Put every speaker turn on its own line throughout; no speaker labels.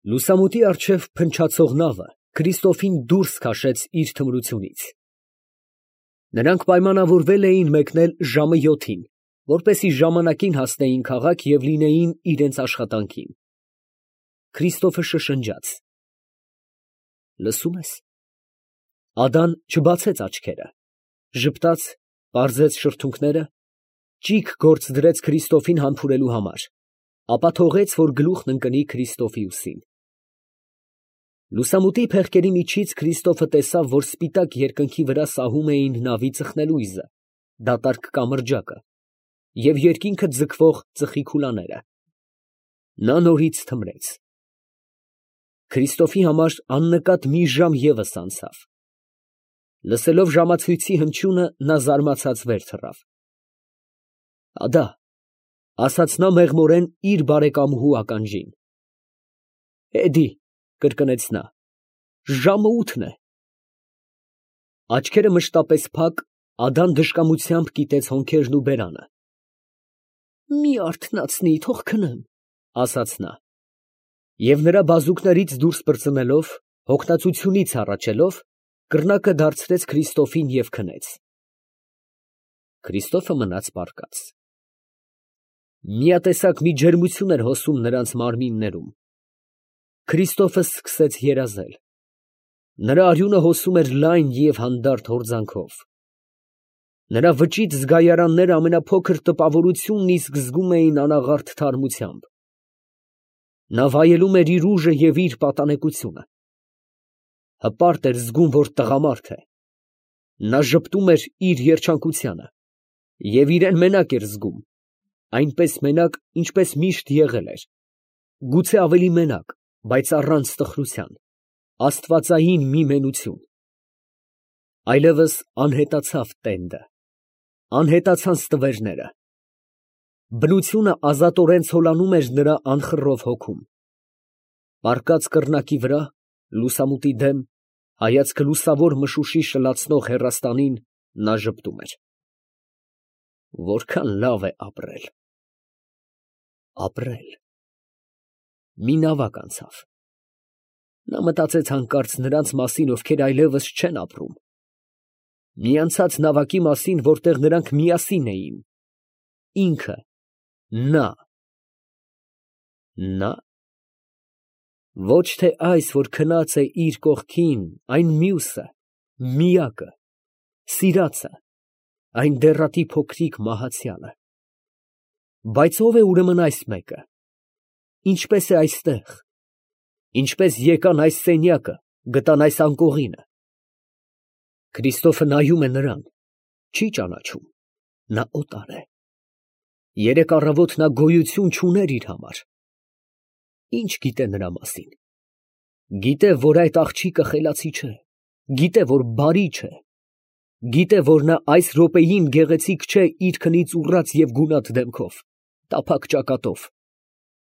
Լուսամուտի առջև փնչացող նավը Քրիստոֆին դուրս քաշեց իր թմրությունից։ Նրանք պայմանավորվել էին մեկնել ժամը 7-ին, որպեսզի ժամանակին հասնեին քաղաք և լինեին իրենց աշխատանքին։ Քրիստոֆը շշնջաց. «Լսում ես»։ Ադան չբացեց աչքերը, ժպտաց, պարզեց շրթունքները, ճիգ գործ դրեց Քրիստոֆին համբուրելու համար, ապա թողեց, որ գլուխն ընկնի Քրիստոֆի ուսին։ Լուսամուտի փեղկերի միջից Քրիստոֆը տեսավ, որ սպիտակ երկնքի վրա սահում էին նավի ծխնելույզը, դատարկ կամրջակը և երկինքը ձգվող ծխի քուլաները։ Նա նորից թմրեց։ Քրիստոֆի համար աննկատ մի ժամ ևս անցավ։ Լսելով ժամացույցի հնչյունը, նա զարմացած վեր թռավ։ «Ադա», ասաց նա մեղմորեն իր բարեկամուհու ականջին։ «Էդի», կրկնեց նա, «ժամը 8-ն է»։ Աչքերը մշտապես փակ, Ադան դժկամությամբ կիտեց հոնքերն ու բերանը։ «Մի արթնացնի, թող քնեմ», ասաց նա։ Եվ նրա բազուկներից դուրս պրծնելով, հոգնածությունից հառաչելով, կռնակը դարձրեց Քրիստոֆին և քնեց։ Քրիստոֆը մնաց պառկած։ Միատեսակ մի ջերմություն էր հոսում նրանց մարմիններում։ Քրիստոֆը սկսեց երազել։ Նրա արյունը հոսում էր լայն և հանդարտ հորձանքով։ Նրա վճիտ զգայարանները ամենափոքր տպավորությունն իսկ զգում էին անաղարտ թարմությամբ։ Նա վայելում էր իր ուժը և իր պատանեկությունը։ Հպարտ էր զգում, որ տղամարդ է։ Նա ժպտում էր իր երջանկությանը և իրան մենակ էր զգում, այնպես մենակ, ինչպես միշտ եղել էր, գուցե ավելի մենակ, բայց առանց տխրության, աստվածային մի մենություն։ Այլևս անհետացավ տենդը, անհետացան ստվերները։ Բնությունը ազատորեն ցոլանում էր նրա անխռով հոգում։ Պառկած կռնակի վրա, լուսամուտի դեմ, հայացքը լուսավոր մշուշի շլացնող հեռաստանին, նա ժպտում էր. «Որքան լավ է ապրել»։ Ապրել։ Մի նավակ անցավ։ Նա մտածեց հանկարծ նրանց մասին, ովքեր այլևս չեն ապրում։ Մի անցած նավակի մասին, որտեղ նրանք միասին էին։ Ինքը, նա։ Նա։ Ոչ թե այս, որ քնած է իր կողքին, այն մյուսը, միակը, սիրածը, այն դեռատի փոքրիկ մահացյալը։ Բայց ո՞վ է ուրեմն այս մեկը։ Ինչպե՞ս է այստեղ։ Ինչպե՞ս եկան այս սենյակը, գտան այս անկողինը։ Քրիստոֆը նայում է նրան, չի ճանաչում, նա օտար է։ Երեկ առավոտ նա գոյություն չուներ իր համար։ Ինչ գիտե նրա մասին։ Գիտե, որ այդ աղջիկը խելացի չէ, գիտե, որ բարի չէ, գիտե, որ նա այս րոպեին գեղեցիկ չէ իր քնից ուռած և գունատ դեմքով, տափակ ճակատով,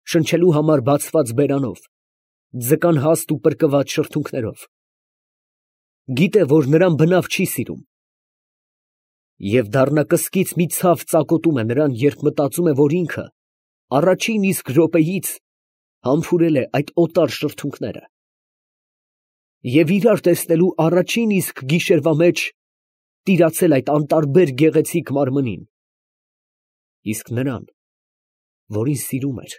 շնչելու համար բացված բերանով, ձկան հաստ ու պրկված շրթունքներով։ Գիտե, որ նրան բնավ չի սիրում։ Եվ դառնակսկից մի ցավ ծակոտում է նրան, երբ մտածում է, որ ինքը առաջին իսկ րոպեից համբուրել է այդ օտար շրթունքները և իրար տեսնելու առաջին իսկ գիշերվա մեջ տիրացել այդ անտարբեր գեղեցիկ մարմնին, իսկ նրան, որին սիրում էր,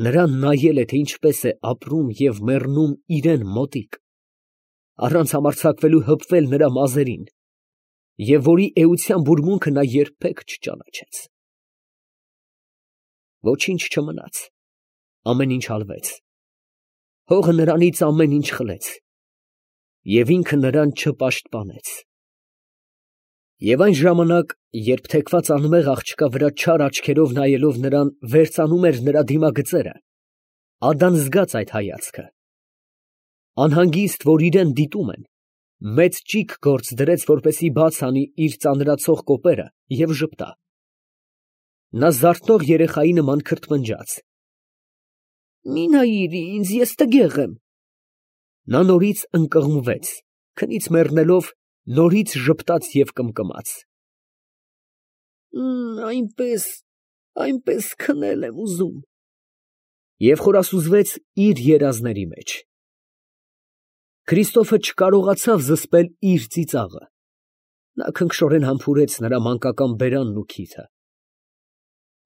նրան նայել է, թե ինչպես է ապրում և մեռնում իրան մոտիկ, առանց համարձակվելու հպվել նրա մազերին, և որի էության բուրմունքը նա երբեք չճանաչեց։ Ոչինչ չմնաց, ամեն ինչ հալվեց, հողը նրանից ամեն ինչ խլեց, և ինքը նրան չպաշտպանեց։ Եվ այն ժամանակ, երբ թեքված անմեղ աղջկա վրա չար աչքերով նայելով նրան վերծանում էր նրա դիմագծերը, Ադան զգաց այդ հայացքը։ Անհանգիստ, որ իրան դիտում են, մեծ ճիգ գործ դրեց, որպեսզի բաց անի իր ծանրացող կոպերը և ժպտա։ Նա զարթնող երեխայի նման քրթմնջաց. «Մի նայիր ինձ, ես տգեղ եմ»։ Նա նորից ընկղմվեց, քնից մեռնելով, նորից ժպտաց և կմկմաց. «Այնպես քնել եմ ուզում»։ և խորասուզվեց իր երազների մեջ։ Քրիստոֆը չկարողացավ զսպել իր ծիծաղը. նա քնքշորեն համբուրեց նրա մանկական բերանն ու քիթը։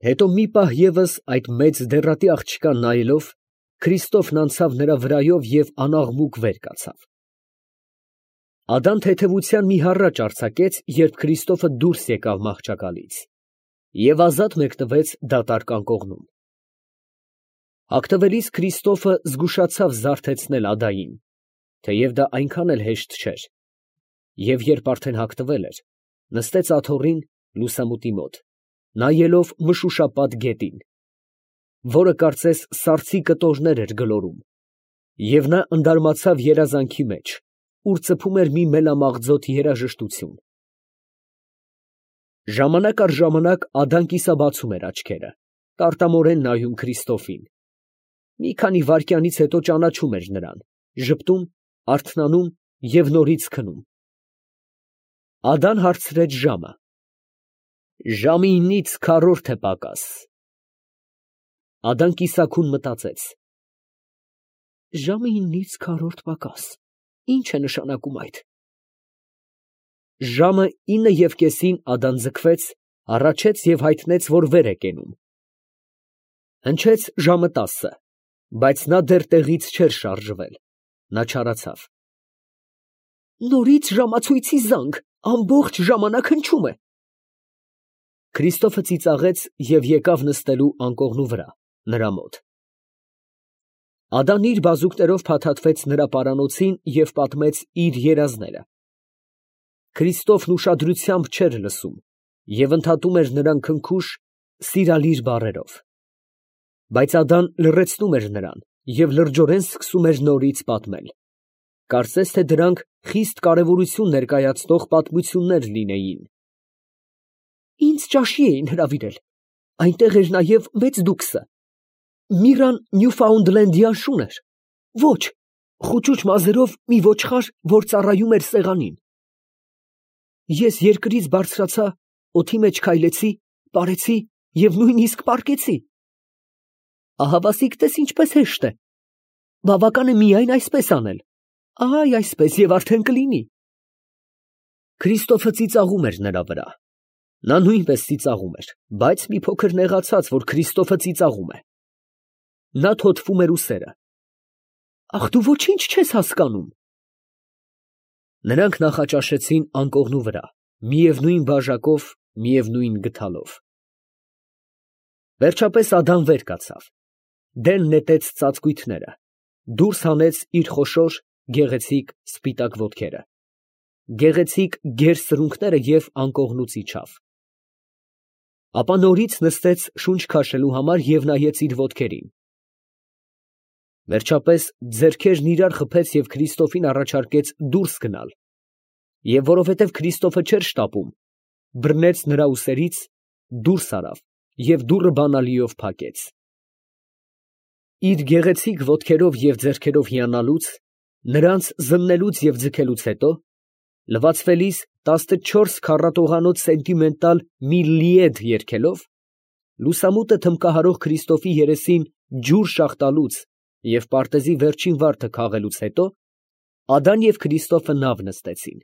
Հետո մի պահ ևս այդ մեծ դեռատի աղջկան նայելով, Քրիստոֆն անցավ նրա վրայով և անաղմուկ վեր կացավ։ Ադան թեթևության մի հառաչ արձակեց, երբ Քրիստոֆը դուրս եկավ մահճակալից, և ազատ մեկնվեց դատարկ անկողնում։ Հագնվելիս Քրիստոֆը զգուշացավ զարթեցնել Ադային, թեև դա այնքան էլ հեշտ չէր, և երբ արդեն հագնվել էր, նստեց աթոռին լուսամուտի մոտ, նայելով մշուշապատ գետին, որը կարծես սառցի կտորներ էր գլորում, և նա ընդարմացավ երազանքի մեջ, ուր ծփում էր մի մելամաղձոտ երաժշտություն։ Ժամանակ առ ժամանակ Ադան կիսաբացում էր աչքերը, տարտամորեն նայում Քրիստոֆին։ Մի քանի վայրկյանից հետո ճանաչում էր նրան, ժպտում, արթնանում և նորից քնում։ Ադան հարցրեց ժամը. ժամը 9-ից քառորդ է պակաս։ Ադան կիսաքուն մտածեց. ժամը 9-ից քառորդ պակաս, ի՞նչ է նշանակում այդ։ Ժամը 9:30-ին Ադան ձգվեց, հառաչեց և հայտնեց, որ վեր է կենում։ Հնչեց ժամը 10, բայց նա դեռ տեղից չէր շարժվել, նա չարացավ։ Նորից ժամացույցի զանգ, ամբողջ ժամանակ հնչում է։ Քրիստոֆը ծիծաղեց և եկավ նստելու անկողնու վրա, նրա մոտ։ Ադան իր բազուկներով փաթաթվեց նրա պարանոցին և պատմեց իր երազները։ Քրիստոֆն ուշադրությամբ չէր լսում և ընդհատում էր նրան քնքուշ, սիրալիր բառերով։ Բայց Ադան լռեցնում էր նրան և լրջորեն սկսում էր նորից պատմել, կարծես թե դրանք խիստ կարևորություն ներկայացնող պատմություններ լինեին։ Ինձ ճաշի էին հրավիրել, այնտեղ էր նաև մեծ դուքսը։ Միրան Նյուֆաունդլենդյան շուն էր, ոչ, խուճուճ մազերով մի ոչխար, որ ծառայում էր սեղանին։ Ես երկրից բարձրացա, օդի մեջ քայլեցի, պարեցի և նույնիսկ պառկեցի։ Ահավասիկ տես ինչպես հեշտ է։ Բավական է միայն այսպես անել, այ այսպես և արդեն կլինի։ Քրիստոֆը ծիծաղում էր նրա վրա։ Նա նույնպես ծիծաղում էր, բայց մի փոքր նեղացած, որ Քրիստոֆը ծիծաղում է։ Նա թոթվում էր ուսերը։ Ախ, դու ոչինչ չես հասկանում։ Նրանք նախաճաշեցին անկողնու վրա, միևնույն բաժակով, միևնույն գդալով։ Վերջապես Ադան վեր կացավ, դեն նետեց ծածկույթները, դուրս հանեց իր խոշոր, գեղեցիկ սպիտակ ոտքերը, գեղեցիկ գեր սրունքները և անկողնուց իջավ։ Ապա նորից նստեց շունչ քաշելու համար և նայեց իր ոտքերին։ Վերջապես ձեռքերն իրար խփեց և Քրիստոֆին առաջարկեց դուրս գնալ, և որովհետև Քրիստոֆը չէր շտապում, բռնեց նրա ուսերից, դուրս արավ և դուռը բանալիով փակեց։ Իր գեղեցիկ ոտքերով և ձեռքերով հիանալուց, նրանց զննելուց և ձգելուց հետո, լվացվելիս 14 քառատողանոց սենտիմենտալ մի լիեդ երգելով, լուսամուտը թմբկահարող Քրիստոֆի երեսին ջուր շաղ տալուց և պարտեզի վերջին վարդը քաղելուց հետո, Ադան և Քրիստոֆը նավ նստեցին։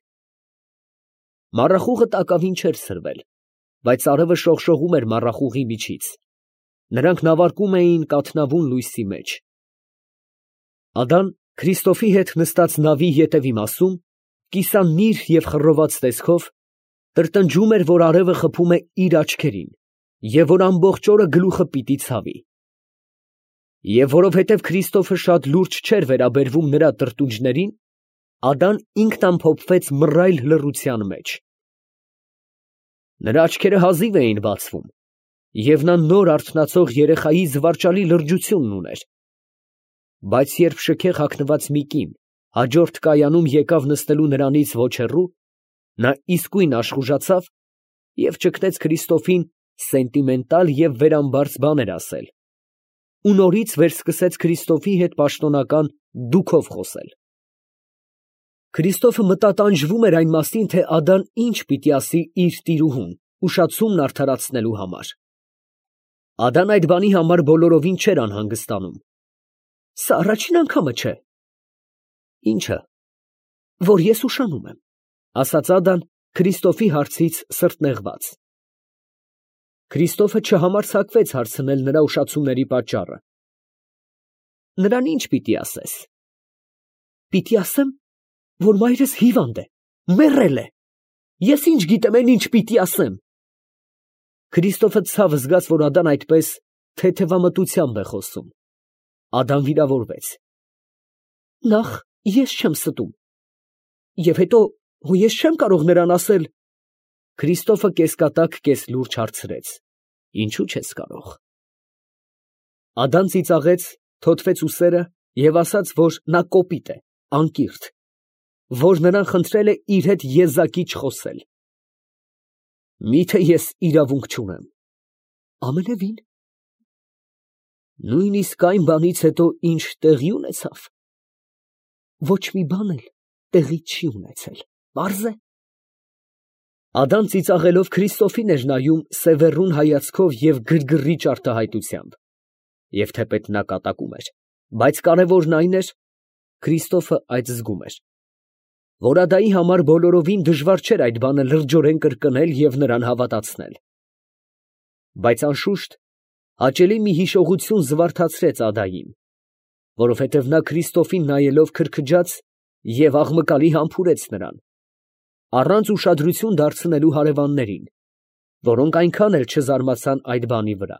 Մառախուղը տակավին չէր սրվել, բայց արևը շողշողում էր մառախուղի միջից, նրանք նավարկում էին կաթնավուն լույսի մեջ։ Ադան Քրիստոֆի հետ նստած նավի ետևի մասում, կիսանիր և խռոված տեսքով, տրտնջում էր, որ արևը խփում է իր աչքերին և որ ամբողջ օրը գլուխը պիտի ցավի։ Եվ որովհետև Քրիստոֆը շատ լուրջ չէր վերաբերվում նրա տրտունջներին, Ադան ինքն ամփոփվեց մռայլ լռության մեջ։ Նրա աչքերը հազիվ էին բացվում, և նա նոր արթնացող երեխայի զվարճալի լրջությունն ուներ։ Բայց երբ շքեղ հագնված մի կին հաջորդ կայանում եկավ նստելու նրանից ոչ հեռու, նա իսկույն աշխուժացավ և ճգնեց Քրիստոֆին սենտիմենտալ և վերամբարձ բաներ ասել, ու նորից վերսկսեց Քրիստոֆի հետ պաշտոնական դուքով խոսել։ Քրիստոֆը մտատանջվում էր այն մասին, թե Ադան ինչ պիտի ասի իր տիրուհուն, ուշացումն արդարացնելու համար։ Ադան այդ բանի համար բոլորովին չէր անհանգստանում։ Սա առաջին անգամը չէ։ Ինչը, որ ես ուշանում եմ, ասաց Ադան Քրիստոֆի հարցից սրտնեղված։ Քրիստոֆը չհամարձակվեց հարցնել նրա ուշացումների պատճառը։ Նրան ինչ պիտի ասես։ Պիտի ասեմ, որ մայրս հիվանդ է, մեռել է։ Ես ինչ գիտեմ, այն ինչ պիտի ասեմ։ Քրիստոֆը ցավ զգաց, որ Ադան այդպես թեթևամտությամբ է խոսում։ Ադան վիրավորվեց։ Նախ ես չեմ ստում։ Եվ հետո ես չեմ կարող նրան ասել։ Քրիստոֆը կեսկատակ կեսլուրջ հարցրեց. Ինչու չես կարող։ Ադան ծիծաղեց, թոթվեց ուսերը և ասաց, որ նա կոպիտ է, անկիրթ, որ նրան խնդրել է իր հետ եզակի չխոսել։ Միթե ես իրավունք չունեմ։ Ամենևին։ Նույնիսկ այն բանից հետո, ինչ տեղի ունեցավ։ Ոչ մի բան էլ տեղի չի ունեցել, պարզ է։ Ադան ծիծաղելով Քրիստոֆին էր նայում սևեռուն հայացքով և գրգռիչ արտահայտությամբ։ Եվ թեպետ նա կատակում էր, բայց կարևորն այն էր, Քրիստոֆը այդ զգում էր, որ Ադայի համար բոլորովին դժվար չէր այդ բանը լրջորեն կրկնել և նրան հավատացնել։ Բայց անշուշտ հաճելի մի հիշողություն զվարթացրեց Ադային, որովհետև նա Քրիստոֆին նայելով քրքջաց և աղմկալի համբուրեց նրան, առանց ուշադրություն դարձնելու հարևաններին, որոնք այնքան էլ չզարմացան այդ բանի վրա։